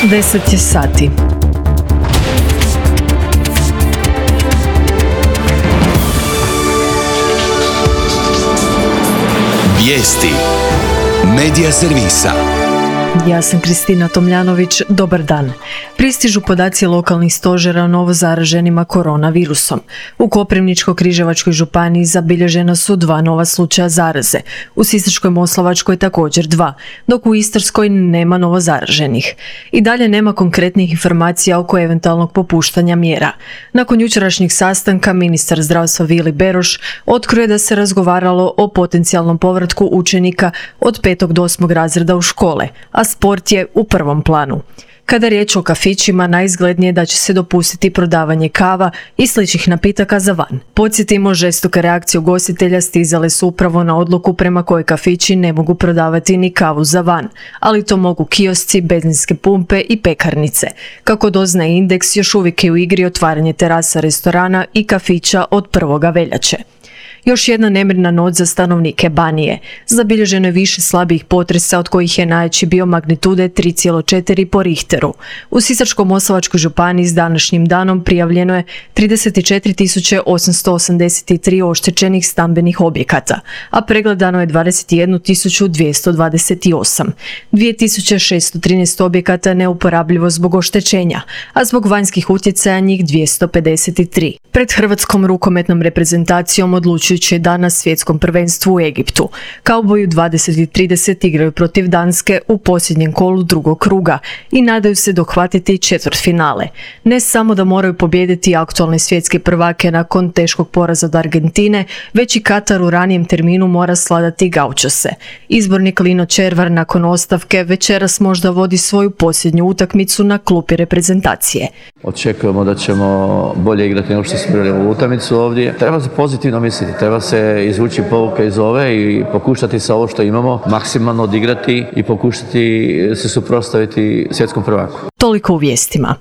10 je sati. Vijesti Medija servisa. Ja sam Kristina Tomljanović, dobar dan. Pristižu podaci lokalnih stožera o novozaraženima koronavirusom. U Koprivničko-križevačkoj županiji zabilježena su 2 nova slučaja zaraze, u Sisačko-moslavačkoj također 2, dok u Istarskoj nema novozaraženih. I dalje nema konkretnih informacija oko eventualnog popuštanja mjera. Nakon jučerašnjeg sastanka ministar zdravstva Vili Beroš otkrio je da se razgovaralo o potencijalnom povratku učenika od 5. do 8. razreda u škole, a sport je u prvom planu. Kada je riječ o kafićima, najizglednije da će se dopustiti prodavanje kava i sličnih napitaka za van. Podsjetimo, žestoke reakcije ugostitelja stizale su upravo na odluku prema kojoj kafići ne mogu prodavati ni kavu za van, ali to mogu kiosci, benzinske pumpe i pekarnice. Kako doznaje Indeks, još uvijek je u igri otvaranje terasa restorana i kafića od 1. veljače. Još jedna nemirna noć za stanovnike Banije. Zabilježeno je više slabijih potresa, od kojih je najjači bio magnitude 3,4 po Richteru. U Sisačko-moslavačkoj županiji s današnjim danom prijavljeno je 34.883 oštećenih stambenih objekata, a pregledano je 21.228. 2.613 objekata neuporabljivo zbog oštećenja, a zbog vanjskih utjecaja njih 253. Pred hrvatskom rukometnom reprezentacijom odlučujući je dan na svjetskom prvenstvu u Egiptu. Kauboji u 20:30 igraju protiv Danske u posljednjem kolu drugog kruga i nadaju se dohvatiti četvrtfinale. Ne samo da moraju pobijediti aktualne svjetske prvake nakon teškog poraza od Argentine, već i Katar u ranijem terminu mora sladati gaučose. Izbornik Lino Červar nakon ostavke večeras možda vodi svoju posljednju utakmicu na klupi reprezentacije. Očekujemo da ćemo bolje igrati nego što smo igrali u utakmicu ovdje. Treba se pozitivno misliti, treba se izvući pouke iz ove i pokušati sa ovo što imamo maksimalno odigrati i pokušati se suprotstaviti svjetskom prvaku. Toliko u vijestima.